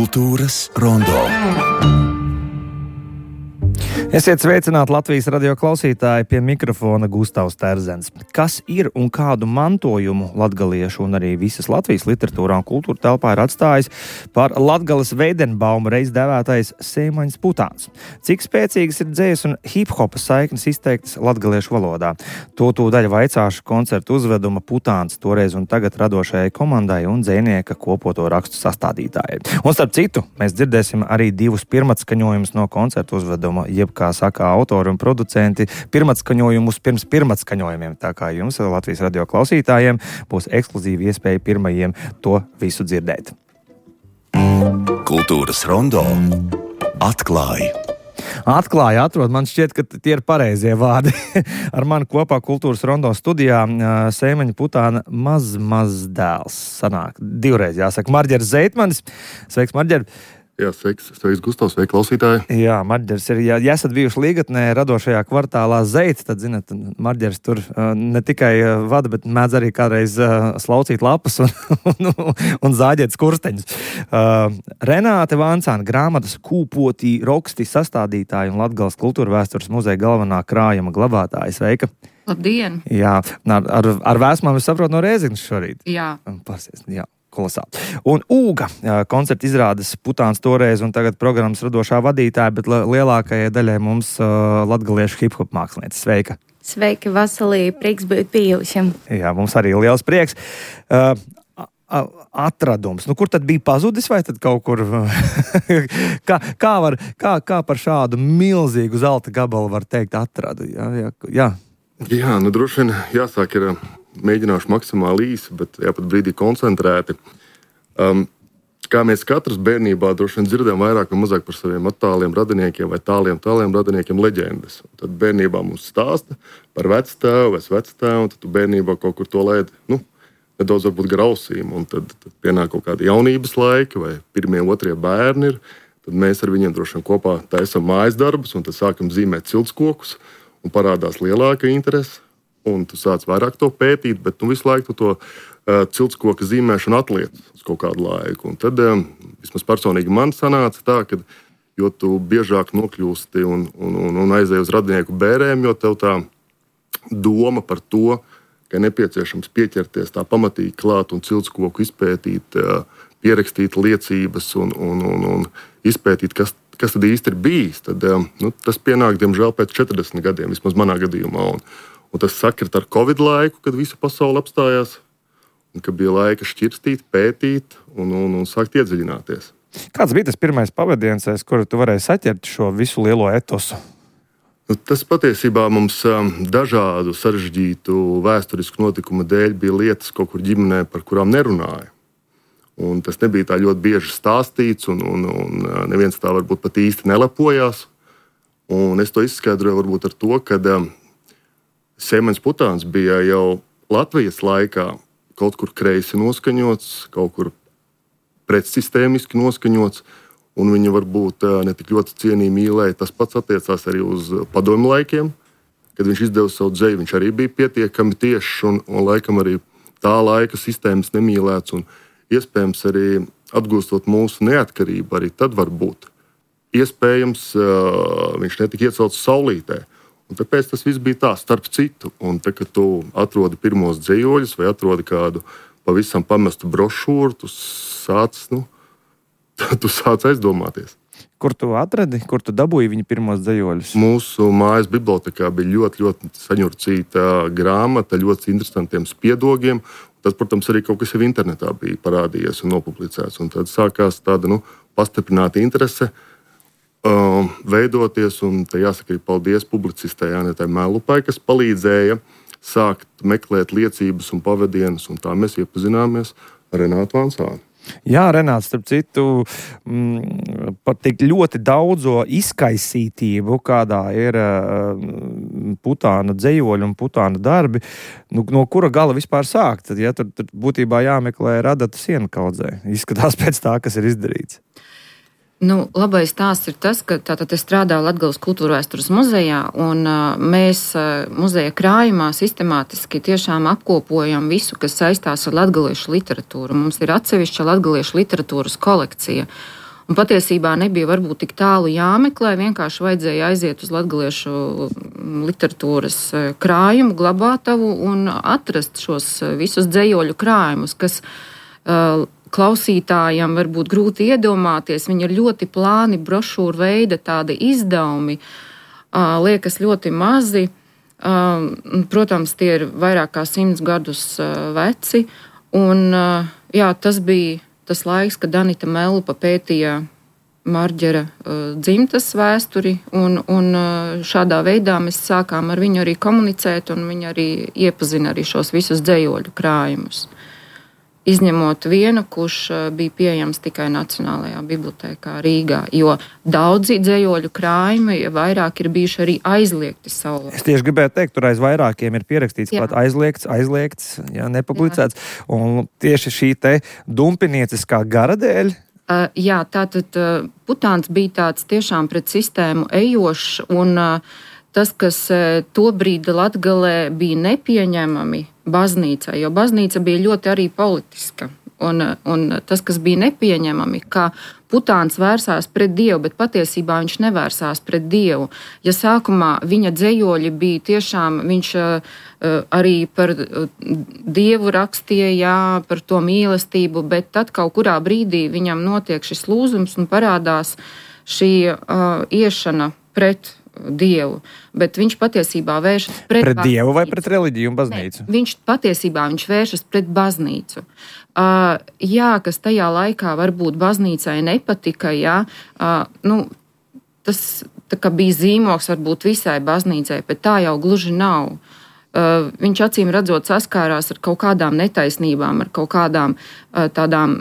Kultūras rondo. Esiet sveicināti Latvijas radio klausītāji, pie mikrofona Gustavs Terzens. Kas ir un kādu mantojumu latgaliešu un arī visas Latvijas literatūrā un kultūra telpā ir atstājis par Latgales Veidenbauma reiz dēvētais Seimaņas Putāns? Cik spēcīgas ir dzējas un hip-hopa saiknes izteiktas latgaliešu valodā? To tūdaļ vaicāšu koncertu uzveduma Putāns toreiz un tagad radošajai komandai un dzējnieka kopoto rakstu sastādītājai. Un starp citu, mēs dzirdēsim arī divus pirmatskaņojumus no koncertu uzveduma, jeb kā saka autori un producenti, pirmatskaņojumus pirms pirmatskaņojumiem. Tā kā jums, Latvijas radio klausītājiem, būs ekskluzīva iespēja pirmajiem to visu dzirdēt. Kultūras rondo atklāja. Atrod, man šķiet, ka tie ir pareizie vārdi. Ar mani kopā Kultūras rondo studijā Seimaņa Putāna mazdēls sanāk. Divreiz jāsaka. Marģers Zeitmanis. Sveiks, Marģer! Jā, sveiks Gustavs, sveiki klausītāji. Jā, Marģers ir, ja esat bijuši Līgatnē radošajā kvartālā Zeits, tad, zināt, Marģers tur ne tikai vada, bet mēdz arī kādreiz slaucīt lapas un zāģēt skursteņus. Renāte Vancāna, grāmatas Kūpotī roksti sastādītāja un Latgales kultūra vēstures muzeja galvenā krājuma glabātāja. Sveika! Labdien! Jā, ar vēsmām es saprotu no Rēzeknes šorīt. Jā. Pasies, jā. Kolosāli. Un Ūga koncerta izrādes Putāns toreiz un tagad programmas radošā vadītāja, bet lielākajai daļai mums latgaliešu hip-hop mākslinieca. Sveika! Sveiki, Vasalī, prieks būt bijušam. Jā, mums arī liels prieks. Atradums. Kur tad bija pazudis vai tad kaut kur? kā par šādu milzīgu zelta gabalu var teikt atradu? Jā. Jā, droši vien jāsāk ir... Mēģināšu maksimāli īsi, bet jāpat brīdī koncentrēti. Kā mēs katrs bērnībā droši vien dzirdējām vairāk vai mazāk par saviem attāliem radiniekiem vai tāliem radiniekiem leģendas. Tad bērnībā mums stāsta par vectēvu vai vectēvu, un tad tu bērnībā kaut kur to laidi, nedaudz varbūt grausīm, un tad pienāk kaut kādi jaunības laiki vai pirmie, otrie bērni ir. Tad mēs ar viņiem droši vien kopā taisam mājas darbus, un tad sākam zīmēt ciltskokus, un parādās lielāka interese. Un tu sāc vairāk to pētīt, bet visu laiku to ciltskoka zīmēšanu atliec uz kaut kādu laiku. Un tad, vismaz personīgi man sanāca tā, ka jo tu biežāk nokļūsti un aizēji uz radinieku bērēm, jo tev tā doma par to, ka nepieciešams pieķerties tā pamatīgi klāt un ciltskoku izpētīt, pierakstīt liecības un izpētīt, kas tad īsti ir bijis. Tad, tas pienāk, diemžēl, pēc 40 gadiem, vismaz manā gadījumā. Un tas sakrit ar Covid laiku, kad visa pasaule apstājās, un ka bija laika šķirstīt, pētīt un sākt iedziļināties. Kāds bija tas pirmais pavadiens, kuru tu varēji saķert šo visu lielo etosu? Tas patiesībā mums dažādu sarežģītu vēsturisku notikumu dēļ bija lietas kaut kur ģimenē, par kurām nerunāja. Un tas nebija tā ļoti bieži stāstīts, un neviens tā varbūt pat īsti nelepojās. Un es to izskaidroju varbūt ar to, ka Seimaņas Putāns bija jau Latvijas laikā kaut kur kreisi noskaņots, kaut kur pretsistēmiski noskaņots, un viņa varbūt ne tik ļoti cienīja mīlēja. Tas pats attiecās arī uz padomju laikiem, kad viņš izdeva savu dzeju. Viņš arī bija pietiekami tiešs un laikam arī tā laika sistēmas nemīlēts, un iespējams arī atgūstot mūsu neatkarību, arī tad varbūt iespējams viņš netika iecelts saulītē. Un tāpēc tas viss bija tā, starp citu. Un tā, kad tu atrodi pirmos dzejoļus vai atrodi kādu pavisam pamestu brošūru, tu sāc aizdomāties. Kur tu atradi, kur tu dabūji viņa pirmos dzejoļus? Mūsu mājas bibliotēkā bija ļoti, ļoti saņurcīta grāmata, ļoti interesantiem spiedogiem. Tas, protams, arī kaut kas jau internetā bija parādījies un nopublicēts. Un tad sākās tāda pastiprināta interese veidoties, un te jāsaka arī paldies publicistē Jānetai Mēlupai, kas palīdzēja sākt meklēt liecības un pavadienus, un tā mēs iepazināmies ar Renātu Vancānu. Jā, Renāts, starp citu, par tik ļoti daudzo izkaisītību, kādā ir Putāna dzejoļi un Putāna darbi, no kura gala vispār sākt? Ja, tur būtībā jāmeklē radata siena kaudzē. Izskatās pēc tā, kas ir izdarīts. Labais stāsts ir tas, ka tātad es strādāju Latgales kultūra vēstures muzejā, un mēs muzeja krājumā sistemātiski tiešām apkopojam visu, kas saistās ar latgaliešu literatūru. Mums ir atsevišķa latgaliešu literatūras kolekcija. Un patiesībā nebija varbūt tik tālu jāmeklē, vienkārši vajadzēja aiziet uz latgaliešu literatūras krājumu, glabātavu un atrast šos visus dzejoļu krājumus, kas klausītājam varbūt grūti iedomāties. Viņi ir ļoti plāni, brošūru veida tādi izdevumi, liekas ļoti mazi. Protams, tie ir vairāk kā 100 gadus veci. Un, jā, tas bija tas laiks, kad Danita Mellupa pētīja Marģera dzimtas vēsturi, un šādā veidā mēs sākām ar viņu arī komunicēt, un viņa arī iepazina arī šos visus dzejoļu krājumus. Izņemot vienu, kurš bija pieejams tikai Nacionālajā bibliotēkā Rīgā, jo daudzi dzejoļu krājumi vairāk ir bijuši arī aizliegti savulaik. Es tieši gribēju teikt, tur aiz vairākiem ir pierakstīts klāt aizliegts, jā, nepublicēts, un tieši šī te dumpinieciskā gara dēļ. Jā, tātad Putāns bija tāds tiešām pret sistēmu ejošs, un tas, kas tobrīd Latgalē bija nepieņemami baznīcai, jo baznīca bija ļoti arī politiska. Un tas, kas bija nepieņemami, ka Putāns vērsās pret Dievu, bet patiesībā viņš nevērsās pret Dievu. Ja sākumā viņa dzejoļi bija tiešām, viņš arī par Dievu rakstīja, jā, par to mīlestību, bet tad kaut kurā brīdī viņam notiek šis lūzums un parādās šī iešana pret Dievu, bet viņš patiesībā vēršas pret Dievu vai pret reliģiju un baznīcu? Ne, viņš vēršas pret baznīcu. Jā, kas tajā laikā varbūt baznīcai nepatika, jā, tas tā kā bija zīmoks varbūt visai baznīcai, bet tā jau gluži nav. Viņš acīm redzot saskārās ar kaut kādām netaisnībām, ar kaut kādām tādām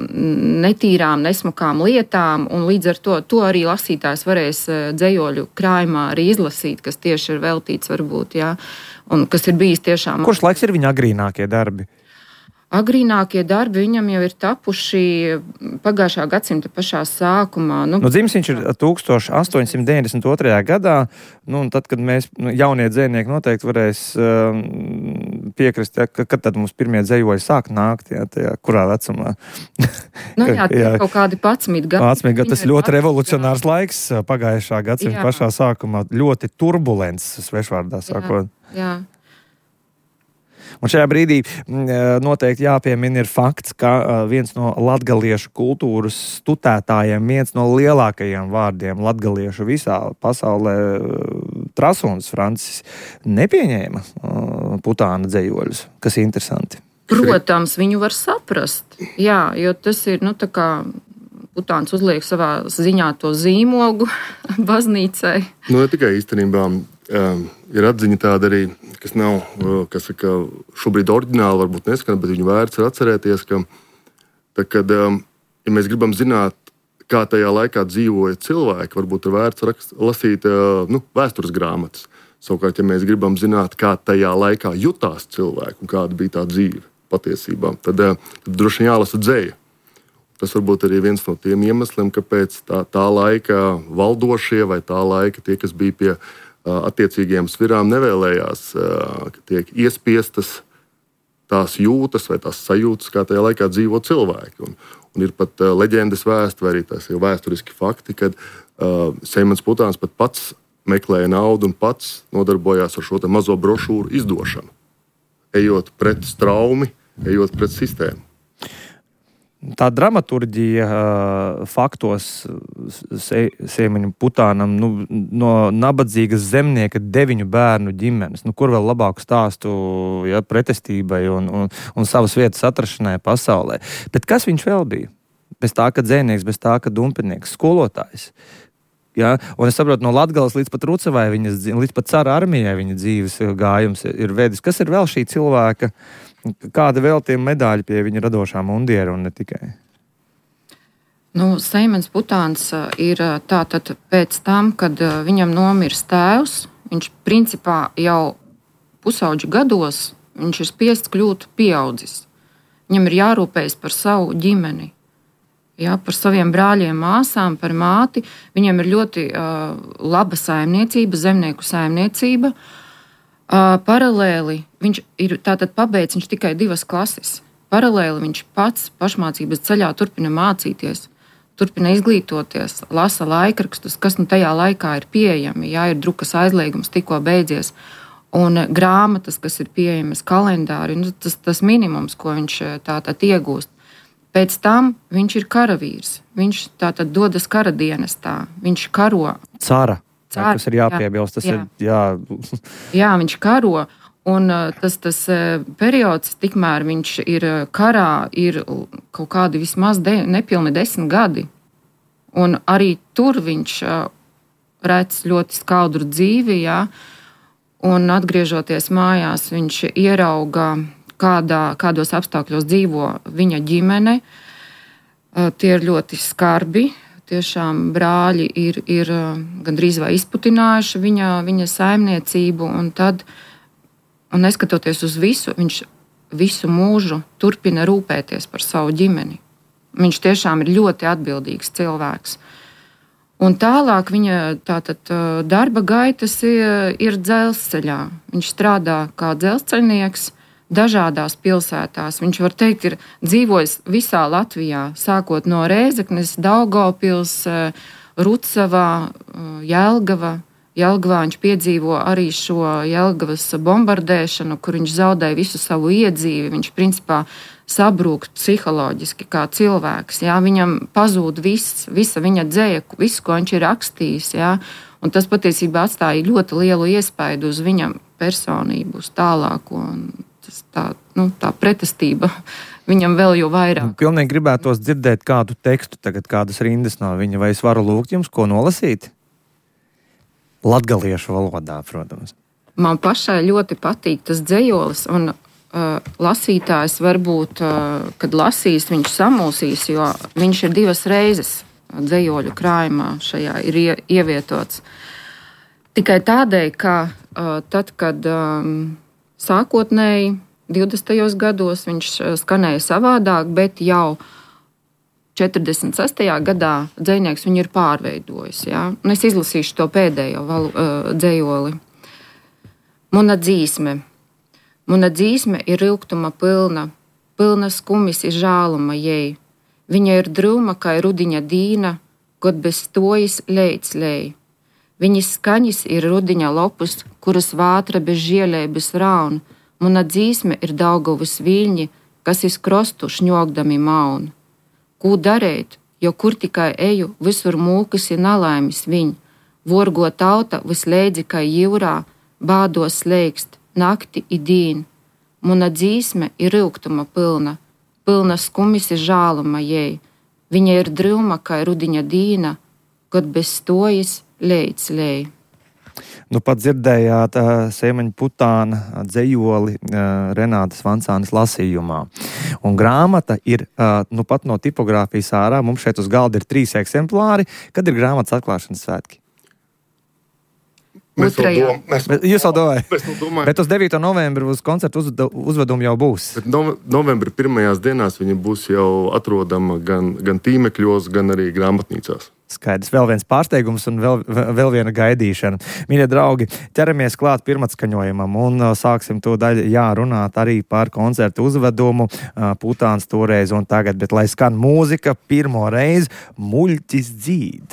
netīrām, nesmukām lietām, un līdz ar to arī lasītājs varēs dzejoļu krājumā arī izlasīt, kas tieši ir veltīts varbūt, jā, un kas ir bijis tiešām. Kurš laiks ir viņa agrīnākie darbi? Agrīnākie darbi viņam jau ir tapuši pagājušā gadsimta pašā sākumā. Dzimis viņš ir 1892. gadā, un tad, kad mēs, jaunie dzejnieki noteikti varēs piekrist, ja, kad tad mums pirmie dzejoļi sāk nākt, ja, tajā, kurā vecumā? Jā, kaut kādi 11 gadi. 11 gadi, tas ļoti revolucionārs laiks pagājušā gadsimta pašā sākumā, ļoti turbulents, svešvārdā sakot. Jā. Un šajā brīdī noteikti jāpiemina ir fakts, ka viens no latgaliešu kultūras tutētājiem, viens no lielākajiem vārdiem latgaliešu visā pasaulē, Trasuns Francis, nepieņēma Putāna dzejoļus, kas ir interesanti. Protams, viņu var saprast, jā, jo tas ir, tā kā Putāns uzliek savā ziņā to zīmogu baznīcai. Ne tikai īstenībā. Ir atziņa tāda arī, kas nav, kas saka, šobrīd oriģināli varbūt neskan, bet viņu vērts ir atcerēties, ka, kad, ja mēs gribam zināt, kā tajā laikā dzīvoja cilvēki, varbūt ir vērts lasīt vēstures grāmatas. Savukārt, ja mēs gribam zināt, kā tajā laikā jutās cilvēki un kāda bija tā dzīve patiesībā, tad droši vien jālasa dzeja. Tas varbūt arī viens no tiem iemesliem, kāpēc tā laika valdošie vai tā laika tie, kas bija pie attiecīgajām svirām, nevēlējās, ka tiek iespiestas tās jūtas vai tās sajūtas, kā tajā laikā dzīvo cilvēki. Un ir pat leģendas vēsti, vai arī tās jau vēsturiski fakti, kad Seimans Putāns pat pats meklēja naudu un pats nodarbojās ar šo te mazo brošūru izdošanu, ejot pret straumi, ejot pret sistēmu. Tā dramaturģija faktos Seimaņam Putānam no nabadzīgas zemnieka 9 bērnu ģimenes. Kur vēl labāku stāstu pretestībai un savas vietas atrašanai pasaulē. Bet kas viņš vēl bija? Bez tā, ka dzejnieks, bez tā, ka dumpinieks, skolotājs. Ja? Un es saprotu, no Latgales līdz pat Rucavai, līdz pat cara armijai viņa dzīves gājums ir vedis. Kas ir vēl šī cilvēka? Kāda vēl tie medaļi pie viņa radošā mundiera un ne tikai? Seimans Putāns ir tātad pēc tam, kad viņam nomirst tēvs, viņš principā jau pusauģu gados, viņš ir spiests kļūt pieaudzis. Viņam ir jārūpējas par savu ģimeni, par saviem brāļiem, māsām, par māti. Viņam ir ļoti laba saimniecība, zemnieku saimniecība. Paralēli viņš ir tātad pabeidz viņš tikai 2 klases. Paralēli viņš pats pašmācības ceļā turpina mācīties. turpina izglītoties, lasa laikrakstus, kas tajā laikā ir pieejami. Jā, ir drukas aizliegums tikko beidzies. Un grāmatas, kas ir pieejamas, kalendāri, tas minimums, ko viņš tātad iegūst. Pēc tam viņš ir karavīrs. Viņš tātad dodas kara dienestā. Viņš karo. Cara. Kas ir jāpiebilst. Tas ir, jā. Jā, viņš karo. Un tas periods, tikmēr viņš ir karā, ir kaut kādi vismaz nepilni 10 gadi. Un arī tur viņš redz ļoti skaudru dzīvi, jā. Un atgriežoties mājās, viņš ierauga, kādos apstākļos dzīvo viņa ģimene. Tie ir ļoti skarbi. Tiešām brāļi ir gandrīz vai izputinājuši viņa saimniecību. Un neskatoties uz visu, viņš visu mūžu turpina rūpēties par savu ģimeni. Viņš tiešām ir ļoti atbildīgs cilvēks. Un tālāk viņa darba gaitas ir dzelzceļā. Viņš strādā kā dzelzceļnieks dažādās pilsētās. Viņš, var teikt, ir dzīvojis visā Latvijā, sākot no Rēzeknes, Daugavpils, Rucavā, Jelgava. Jelgavā viņš piedzīvo arī šo Jelgavas bombardēšanu, kur viņš zaudēja visu savu iedzīvi. Viņš principā sabrūk psiholoģiski kā cilvēks. Jā. Viņam pazūd visa viņa dzēja, viss, ko viņš ir rakstījis. Jā. Un tas patiesībā atstāja ļoti lielu iespaidu uz viņa personību, uz tālāko. Tā pretestība viņam vēl jau vairāk. Pilnīgi gribētos dzirdēt kādu tekstu, tagad kādas rindas no viņa. Vai es varu lūgt jums, ko nolasīt? Latgaliešu valodā, protams. Man pašai ļoti patīk tas dzejolis, un lasītājs varbūt, kad lasīs, viņš samulsīs, jo viņš ir 2 reizes dzejoļu krājumā šajā ir ievietots. Tikai tādēļ, ka tad, kad sākotnēji 20. gados viņš skanēja savādāk, bet jau 46. gadā dzejnieks viņu ir pārveidojis. Ja? Un es izlasīšu to pēdējo dzejoli. Muna dzīsme ir ilgtuma pilna skumis ir žāluma jei. Viņa ir drūma, kā rudiņa dīna, god bez stojas leic lej. Viņas skaņas ir rudiņa lopus, kuras vātra bez žielēbas raun. Muna dzīsme ir Daugavas viļņi, kas iz krostu šņogdami maun. Ko darēt, jo kur tikai eju, visur mūkas ir nalaimis viņ. Vorgo tauta visleidzi kā jūrā, bādos slēgst, nakti i dīn. Muna dzīsme ir ilgtuma pilna skumis ir žāluma jei. Viņa ir drūma kā rudiņa dīna, god bez stojas leic lej. Nu, pat dzirdējāt Seimaņa Putāna dzejoli Renātas Vancānes lasījumā. Un grāmata ir pat no tipogrāfijas ārā. Mums šeit uz galda ir 3 eksemplāri. Kad ir grāmatas atklāšanas svētki? Jūs jau domājat? Bet uz 9. novembri uz koncertu uzvedumu jau būs. Bet novembra pirmajās dienās viņa būs jau atrodama gan tīmekļos, gan arī grāmatnīcās. Skaidrs, vēl viens pārsteigums un vēl viena gaidīšana. Mīļie draugi, ķeramies klāt pirmatskaņojumam un sāksim to daļu runāt arī par koncertu uzvedumu Putāns toreiz un tagad, bet lai skan mūzika, pirmo reizi muļķis dzīd.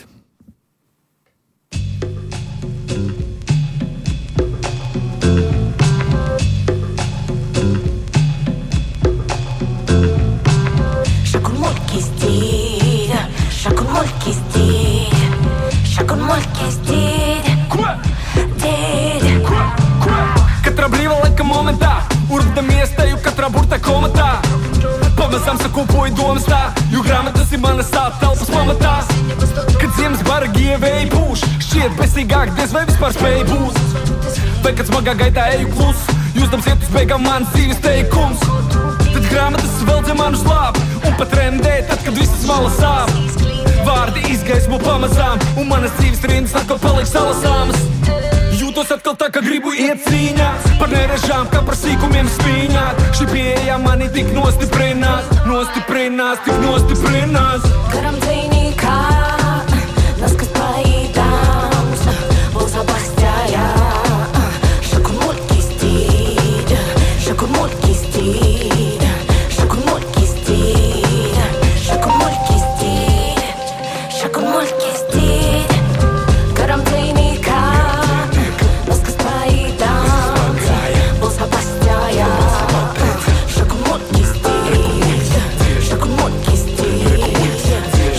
Katra brīva laika momentā, urdamies teju katrā burta komatā. Pamazām sakopoju domas tā, jo grāmatas ir manas telpas pamatā. Kad ziemas bargi ievēji pūš, šķiet besīgāk diez vai vispār spēj būt. Vai kad smagā gaitā eju klus, jūstams iet uz beigām mans dzīves teikums. Tad grāmatas vēl dze manu slāp, un pat rendē tad, kad visas malas sāp. Vārdi izgaismo pamazām, un manas dzīves rindas atkal paliek salasāmas. Jūtos atkal tā, ka gribu iet cīņā, par nerežām, kā par sīkumiem spīņāt. Šī pieeja mani tik nostiprinās, tik nostiprinās. Karam dzīnīkā, naskas paīdāms, būs abastājā. Šakur muļķis tīd, šakur muļķis tīd, šakur muļķis tīd, šakur muļķis tīd. شكون ملكي جديد كرمتيني كان نسكت بعيدا بوصها باستايا شكون ملكي جديد شكون ملكي جديد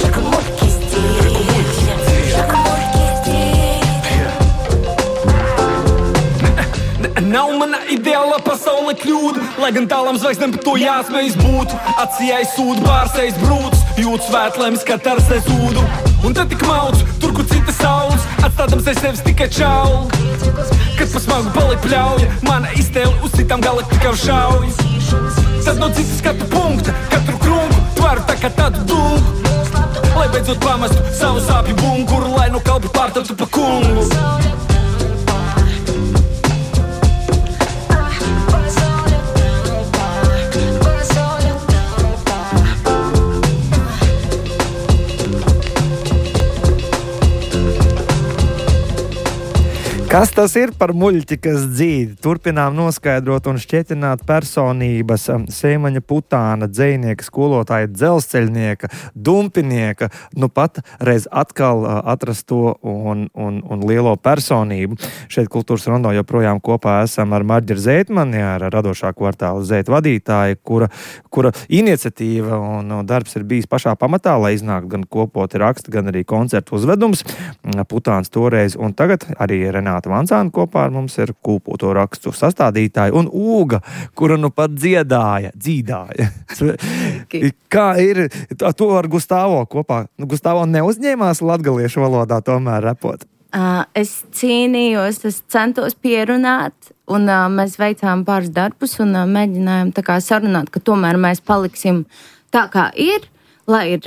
شكون ملكي جديد شكون ملكي جديد Nav ideāla pasaule kļūda, lai gan tālām zvaigznēm par to jāsmējas būtu. Acijai sūdu, bārsējas brūts, jūt svētlēmis, kā tarsēs ūdu. Un tad tik mauc, tur, kur cita saules, atstādams aiz sevis tikai čauli. Kad pa smagu paliek pļauja, mana iztēle uz citām galaktikām šauj. Tad no citas skatu punkta, katru krunku, tvaru tā kā tādu dungu. Lai beidzot pamestu savu sāpju bunkuru, lai no kalpa pārtaptu pa kungu. Kas tas ir par muļķi, kas dzīd? Turpinām noskaidrot un šķietināt personības Sēmaņa Putāna, dzejnieka, skolotāja, dzelzceļnieka, dumpinieka, nu pat reiz atkal atrasto un lielo personību. Šeit Kultūras rondo joprojām kopā esam ar Marģeru Zeitmani, ar radošā kvartāla Zeitu vadītāju, kura iniciatīva un darbs ir bijis pašā pamatā, lai iznāk gan kopoti raksti, gan arī koncertu uzvedums. Putāns toreiz un tagad arī Renāta Vancāna kopā ar mums ir kūpoto rakstu sastādītāja un Ūga, kura nu pat dzīdāja. Kā ir to ar Gustavo kopā? Gustavo neuzņēmās latgaliešu valodā tomēr repot? Es cīnījos, es centos pierunāt, un mēs veicām pāris darbus un mēģinājām tā kā sarunāt, ka tomēr mēs paliksim tā kā ir, lai ir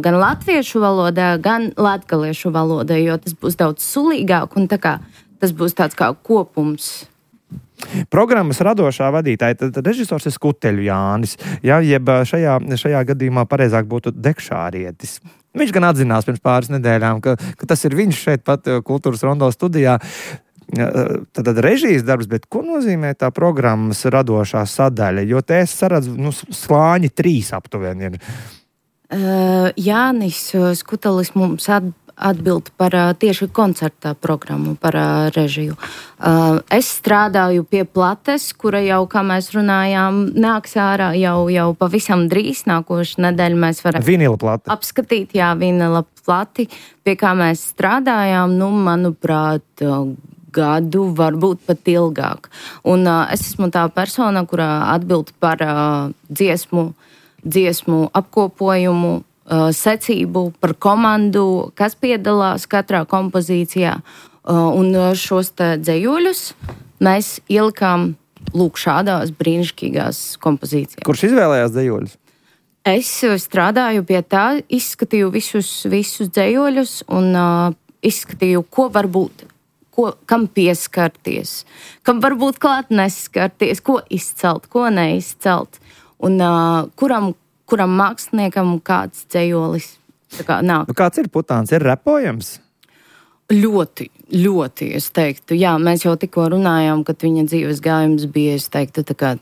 gan latviešu valodā, gan latgaliešu valodā, jo tas būs daudz sulīgāk un tā kā tas būs tāds kā kopums. Programmas radošā vadītāja, tad režisors ir Skuteļu Jānis, ja, jeb šajā gadījumā pareizāk būtu Dekšārietis. Viņš gan atzinās pirms pāris nedēļām, ka tas ir viņš šeit pat Kultūras rondo studijā. Tad režijas darbs, bet ko nozīmē tā programmas radošā sadaļa? Jo te es saredzu, slāņi 3 aptuveni ir. Jānis Skutelis mums atbild par tieši koncerta programmu, par režiju. Es strādāju pie plates, kura jau, kā mēs runājām, nāks ārā jau pavisam drīz. Nākošu nedēļu mēs varam vinila plate. Apskatīt, vinila plati, pie kā mēs strādājām, manuprāt, gadu, varbūt pat ilgāk. Un es esmu tā persona, kurā atbild par dziesmu apkopojumu, secību, par komandu, kas piedalās katrā kompozīcijā. Un šos te dzējuļus mēs ielikām šādās brīnišķīgās kompozīcijās. Kurš izvēlējās dzējuļus? Es strādāju pie tā, izskatīju visus dzējuļus un izskatīju, ko varbūt, kam pieskarties, kam varbūt klāt neskarties, ko izcelt, ko neizcelt. Un kuram māksliniekam kāds dzējolis nāk. Kāds ir Putāns? Ir repojams? Ļoti, ļoti, es teiktu. Jā, mēs jau tikko runājām, kad viņa dzīves gājums bija, es teiktu, tā kā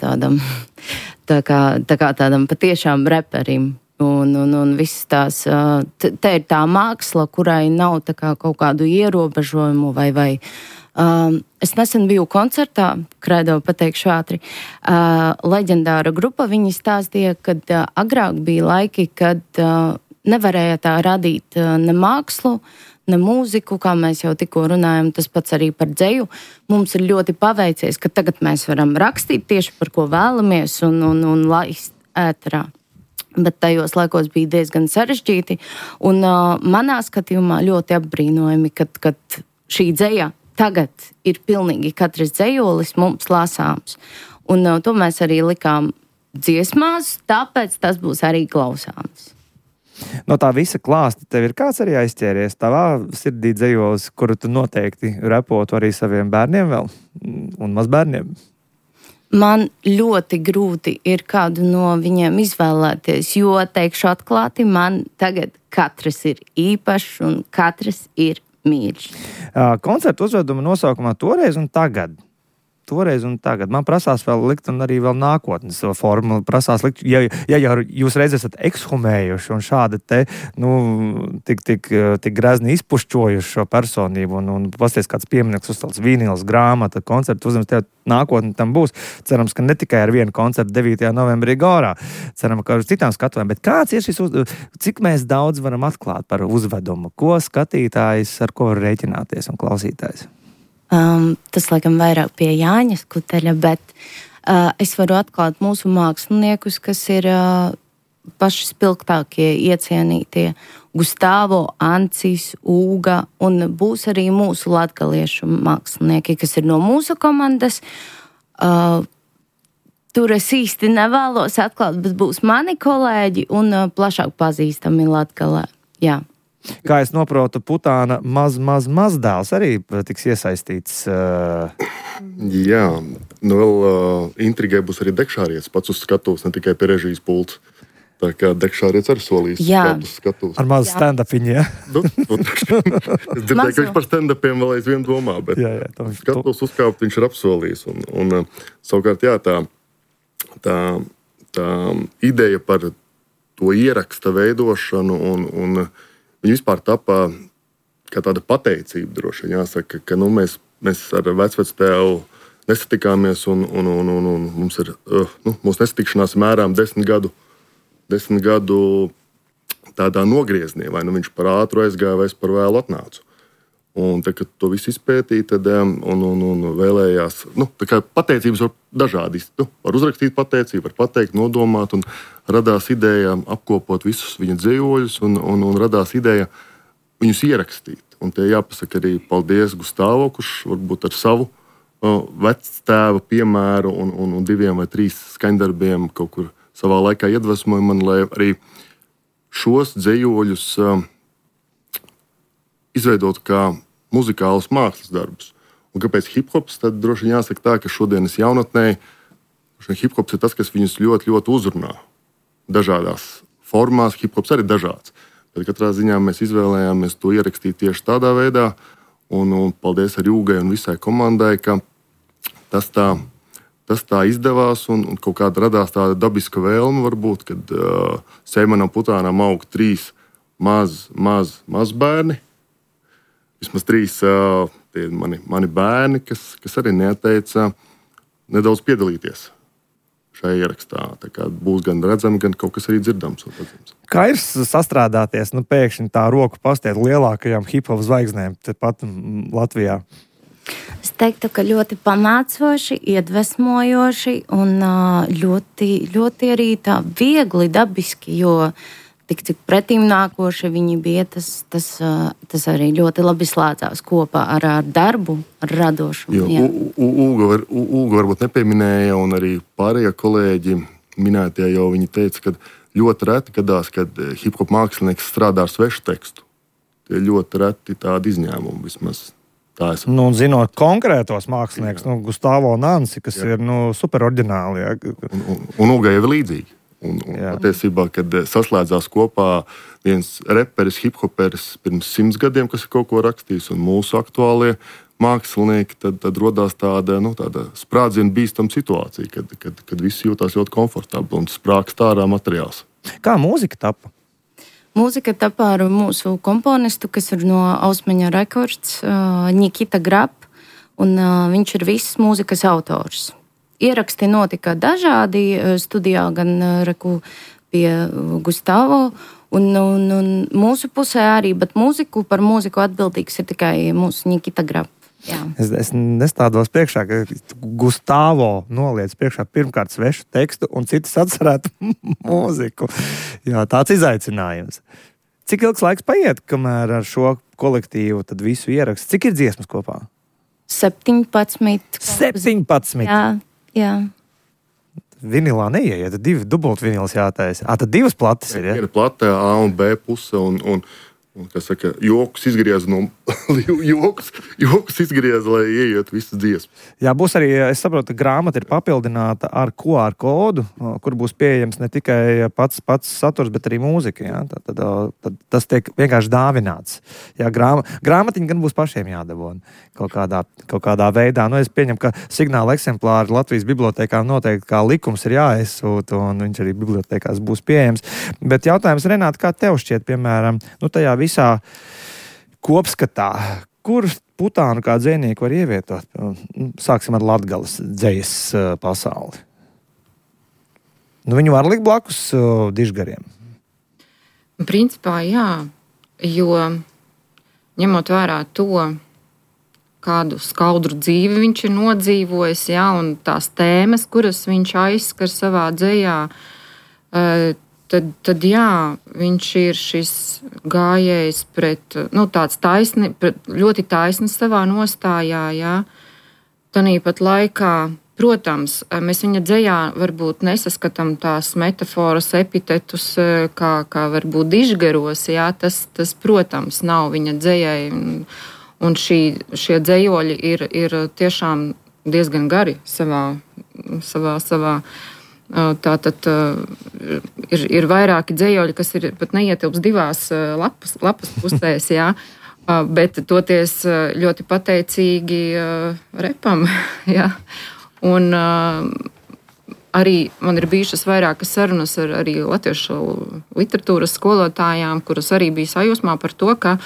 tādam patiešām reperim. Un viss tās, te ir tā māksla, kurai nav tā kā kaut kādu ierobežojumu vai es nesen biju koncertā, Kredo pateikšu ātri, leģendāra grupa, viņi stāstīja, kad agrāk bija laiki, kad nevarēja tā radīt ne mākslu, ne mūziku, kā mēs jau tikko runājam, tas pats arī par dzeju. Mums ir ļoti paveicies, ka tagad mēs varam rakstīt tieši par ko vēlamies un laist ēterā. Bet tajos laikos bija diezgan sarežģīti, un manā skatījumā ļoti apbrīnojami, kad šī dzeja tagad ir pilnīgi katrs dzējolis mums lasāms. Un to mēs arī likām dziesmās, tāpēc tas būs arī klausāms. No tā visa klāsta tev ir kāds arī aizķēries tavā sirdī dzējolis, kuru tu noteikti repotu arī saviem bērniem vēl un mazbērniem? Man ļoti grūti ir kādu no viņiem izvēlēties, jo, teikšu atklāti, man tagad katrs ir īpašs un katrs ir mīļš. Koncertu uzveduma nosaukumā toreiz un tagad. toreiz un tagad. Man prasās vēl likt un arī vēl nākotnes formu. Prasās likt, ja jūs reiz esat ekshumējuši un šādi te, tik grezni izpušķojuši šo personību un pasties kāds piemineklis uzcelts vīnils, grāmata, koncertu uzņems, tev nākotne tam būs. Cerams, ka ne tikai ar vienu koncertu 9. novembrī Gorā. Ceram, ka ar citām skatuvēm. Bet kāds ir šis, cik mēs daudz varam atklāt par uzvedumu? Ko skatītājs, ar ko var rēķināties un klausītājs? Tas, laikam, vairāk pie Jāņa Skuteļa, bet es varu atklāt mūsu māksliniekus, kas ir paši spilgtākie, iecienītie. Gustavo, Ancis, Ūga, un būs arī mūsu latgaliešu mākslinieki, kas ir no mūsu komandas. Tur es īsti nevēlos atklāt, bet būs mani kolēģi un plašāk pazīstami Latgalē. Jā. Kā es noprotu, Putāna mazdēls arī tiks iesaistīts. Jā, vēl intrigai būs arī Dekšārietis pats uz skatuves, ne tikai pie režijas pults. Tā kā Dekšārietis arī solīs uz skatuves. Ar mazu stand-upiņu, jā? Es dzirdēju, ka viņš par stand-upiem vēl aizvien domā, bet skatuves uzkāpt viņš ir apsolījis. Un savukārt, jā, tā ideja par to ieraksta veidošanu un viņa vispār tapā kā tāda pateicība droši. Jāsaka, ka mēs ar vecvectēvu nesatikāmies un mums ir, mūsu nesatikšanās mērām 10 gadu tādā nogriezienī, vai viņš par ātru aizgāja, vai es par vēlu atnācu. Un tā, kad to visu izpētīja, tad un vēlējās, tā kā pateicības var dažādi, var uzrakstīt pateicību, var pateikt, nodomāt, un radās ideja apkopot visus viņa dzējoļus, un radās ideja viņus ierakstīt. Un tie jāpasaka arī paldies Gustavo, kurš varbūt ar savu vectēva piemēru un 2 vai 3 skaņdarbiem kaut kur savā laikā iedvesmoja man, lai arī šos dzējoļus izveidot kā muzikālus mākslas darbus. Un kāpēc hip-hops? Tad droši vien jāsaka tā, ka šodienas jaunatnē hip-hops ir tas, kas viņus ļoti, ļoti uzrunā. Dažādās formās hip-hops arī dažāds. Bet katrā ziņā mēs izvēlējāmies to ierakstīt tieši tādā veidā. Un paldies arī Ūgai un visai komandai, ka tas tā izdevās un kaut kāda radās tāda dabiska vēlme varbūt, kad Seimanam Putānam aug 3 maz bērni. Vismaz 3 tie mani bērni, kas arī neteica nedaudz piedalīties šajā ierakstā. Tā kā būs gan redzami, gan kaut kas arī dzirdams. Kā ir sastrādāties, pēkšņi tā roku pastiet lielākajām hip-hop zvaigznēm tepat Latvijā? Es teiktu, ka ļoti pamācoši, iedvesmojoši un ļoti, ļoti arī tā viegli, dabiski, jo tik pretīm nākoši viņi bija, tas arī ļoti labi slēdzās kopā ar darbu, ar radošumu. Ūga varbūt nepieminēja, un arī pārējie kolēģi minētie jau viņi teica, ka ļoti reti gadās, kad hip-hop mākslinieks strādā ar svešu tekstu. Tie ļoti reti tādi izņēmumi vismaz. Zinot konkrētos mākslinieks, Gustavo un Anci, kas ir super oriģināli. Un Ūgai jau ir līdzīgi. Un patiesībā, kad saslēdzās kopā viens reperis, hip-hoperis pirms 100 gadiem, kas ir kaut ko rakstījis, un mūsu aktuālie mākslinieki, tad rodās tāda sprādziena bīstama situācija, kad visi jūtās ļoti komfortabli un sprākst ārā materiāls. Kā mūzika tapa? Mūzika tapa ar mūsu komponistu, kas ir no Ausmaņa Records, Nikita Grab, un viņš ir viss mūzikas autors. Ieraksti notika dažādi studijā, gan pie Gustavo, un mūsu pusē arī, bet par mūziku atbildīgs ir tikai mūsu Nikita Grab. Jā. Es nestādos priekšā, ka Gustavo noliec priekšā pirmkārt svešu tekstu un citas atcerētu mūziku. Jā, tāds izaicinājums. Cik ilgs laiks paiet, kamēr ar šo kolektīvu tad visu ierakstu? Cik ir dziesmas kopā? 17. 17? Jā. Vinilā neieiet, 2 dubultvinils jātaisa. Tad 2 plates ir, ja? Ir plate A un B puse un kas saka, joks izgrieza no jokus izgriez, lai ieiet visas dziesmas. Jā, būs arī, es saprotu, grāmata ir papildināta ar QR kodu, kur būs pieejams ne tikai pats saturs, bet arī mūzika. Jā? Tad tas tiek vienkārši dāvināts. Jā, grāmatiņa gan būs pašiem jādabūna kaut kādā veidā. Nu, es pieņemu, ka signāla eksemplāri Latvijas bibliotēkām noteikti kā likums ir jāaizsūta, un viņš arī bibliotēkās būs pieejams. Bet jautājums, Renāta, kā tev šķiet, piemēram, tajā visā kopskatā, kur putānu kā dzejnieku var ievietot? Sāksim ar Latgales dzejas pasauli. Viņu var likt blakus dižgariem? Principā jā, jo ņemot vērā to, kādu skaudru dzīvi viņš ir nodzīvojis, jā, un tās tēmas, kuras viņš aizskar savā dzejā, tad jā, viņš ir šis gājējs pret, tāds ļoti taisns savā nostājā, jā. Tanīpat laikā, protams, mēs viņa dzejā varbūt nesaskatām tās metaforas, epitetus, kā varbūt dižgaros, jā, tas, protams, nav viņa dzejai, un šie dzejoļi ir tiešām diezgan gari savā. Tātad ir vairāki dzejoļi, kas ir pat neietilps divās lapas pusēs, jā, bet toties ļoti pateicīgi repam, jā. Un arī man ir bijušas vairākas sarunas ar arī latviešu literatūras skolotājām, kuras arī bija sajūsmā par to, ka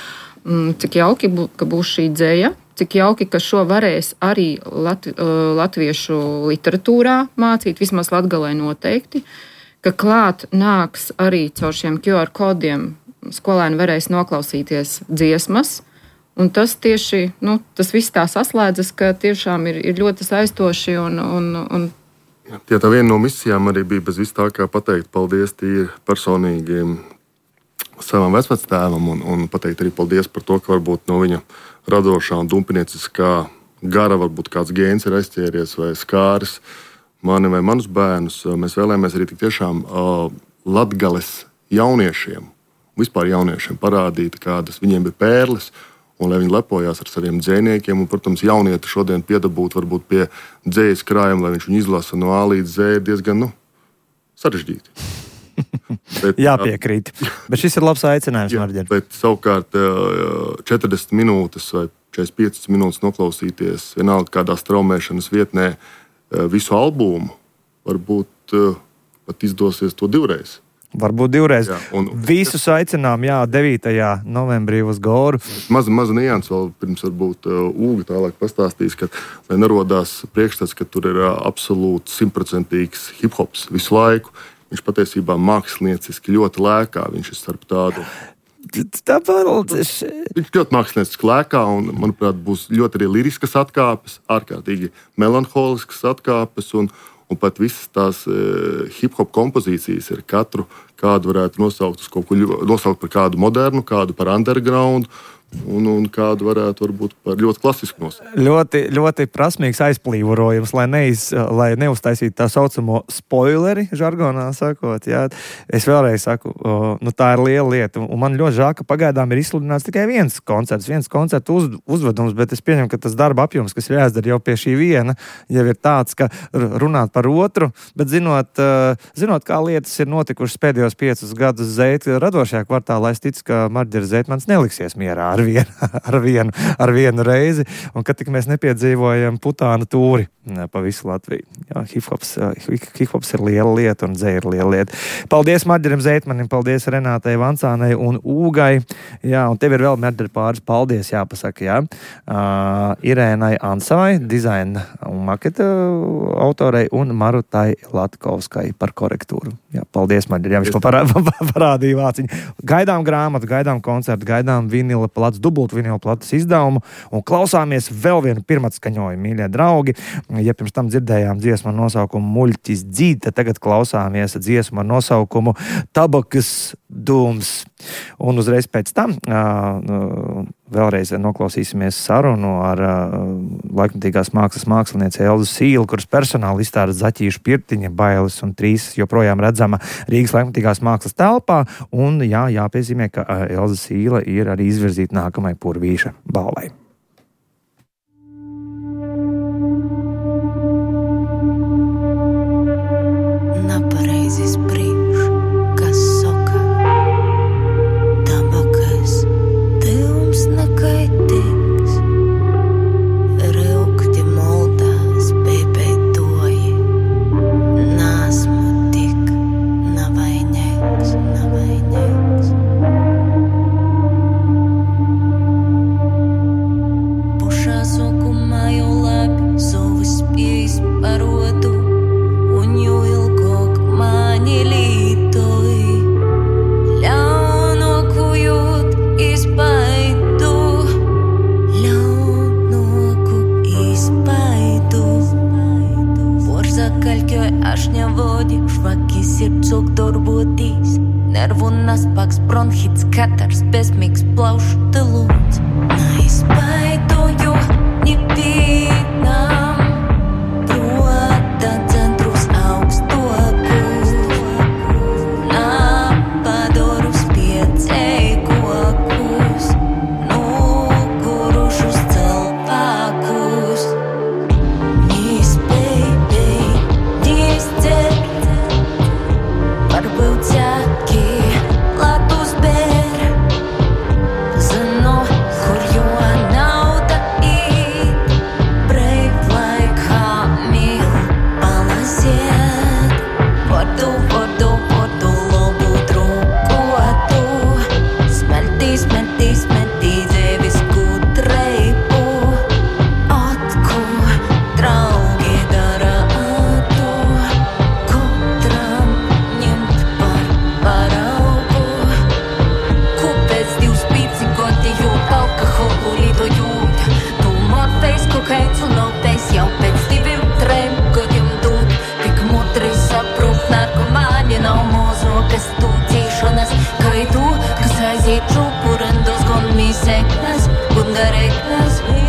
cik jauki, ka būs šī dzeja, cik jauki, ka šo varēs arī latviešu literatūrā mācīt, vismaz Latgalē noteikti, ka klāt nāks arī caur šiem QR kodiem, skolēni varēs noklausīties dziesmas, un tas tieši, tas viss tā saslēdzas, ka tiešām ir ļoti saistoši un Tā viena no misijām arī bija bez vis tā, kā pateikt paldies tīri personīgiem savam vecvectēvam un pateikt arī paldies par to, ka varbūt no viņa radošā un dumpinieciskā gara varbūt kāds gēns ir aizķēries vai skāris mani vai manus bērnus. Mēs vēlējāmies arī tik tiešām Latgales jauniešiem, vispār jauniešiem parādīt, kādas viņiem ir pērles, un lai viņi lepojās ar saviem dzejniekiem. Un, protams, jaunieti šodien piedabūt varbūt pie dzejas krājuma, lai viņš viņu izlasa no A līdz Z, diezgan sarežģīti. Jāpiekrīt. Bet šis ir labs aicinājums, Marģer. Bet savukārt 40 minūtes vai 45 minūtes noklausīties vienalga kādā straumēšanas vietnē visu albumu, varbūt pat izdosies to divreiz. Varbūt divreiz. Visus aicinām, 9. novembrī uz Goru. Maza nianses vēl pirms varbūt Ūga tālāk pastāstīs, ka lai nerodās priekšstats, ka tur ir absolūti 100% hip-hops visu laiku. Viņš patiesībā mākslinieciski ļoti lēkā. Viņš ir starp tādu. Viņš ļoti mākslinieciski lēkā un, manuprāt, būs ļoti arī liriskas atkāpes, ārkārtīgi melanholiskas atkāpes un pat visas tās hip-hop kompozīcijas ir katru, kādu varētu nosaukt par kādu modernu, kādu par underground, un kādu varētu varbūt par ļoti klasisku nosaukt. Ļoti, ļoti prasmīgs aizplīvorojums, lai neuztaisītu tā saucamo spoileri, žargonā sakot. Jā. Es vēlreiz saku, tā ir liela lieta, un man ļoti žēl, ka pagaidām ir izsludināts tikai viens koncertu uzvedums, bet es pieņemu, ka tas darba apjoms, kas ir jāizdara jau pie šī viena, jau ir tāds, ka runāt par otru, bet zinot, kā lietas ir notikušas pēdējos 5 gadus Zeita radošajā kvartālā, es ticu, ka Marģer Zeitmans neliksies mierā ar vienu reizi, un ka tik mēs nepiedzīvojam putānu tūri pa visu Latviju. Jā, hip-hops ir liela lieta un dzeja ir liela lieta. Paldies Marģerim Zeitmanim, paldies Renātai Vancānai un Ūgai. Jā, un tev ir vēl, Marģer, pāris paldies jāpasaka, jā. Irēnai Ansavai, dizaina un maketa autorei, un Marutai Latkovskai par korektūru. Jā, paldies, Marģer, jā, viņš parādīja vāciņu. Gaidām grāmatu, gaidām koncertu, gaidām vinila plats, dubult vinila plats izdevumu, un klausāmies vēl vienu pirmatskaņojumu, mīļie draugi. Ja pirms tam dzirdējām dziesmu ar nosaukumu Muļķis dzīt, tad tagad klausāmies dziesmu ar nosaukumu Tabakas dūms. Un uzreiz pēc tam vēl vēlreiz noklausīsimies sarunu ar laikmatīgās mākslas mākslinieci Elzu Sīlu, kuras personāla izstāde Zaķīšu pirtiņa, bailes un trīs joprojām redzama Rīgas laikmatīgās mākslas telpā. Un jāpiezīmē, ka Elza Sīla ir arī izvirzīta nākamai Purvīša balvai. Napareizes priekš, kas soka, tabakas, tevums nekaitīgs, reukti moldās, pēpētoji, nāsmu tik navainīgs. Pušā sokumā jau labi, savas spējas parodu, un jo ilgāk mani lītoji, ļaunoku jūt izpaidu, Porzakaļķoj aš nevodī, švaki sirdsok darbotīs, nervu naspaks, bronhits, katars, bezmīgs plaušu telūts. Neizpaidoju, nepīnām, prota centrus augstokus, napadorus piecēkokus, nugurušus celpākus. Nav mūzu, kas tu tīšanas, kai tu, kas aiziet čupurindos, gon mīseknas, gun gareknas.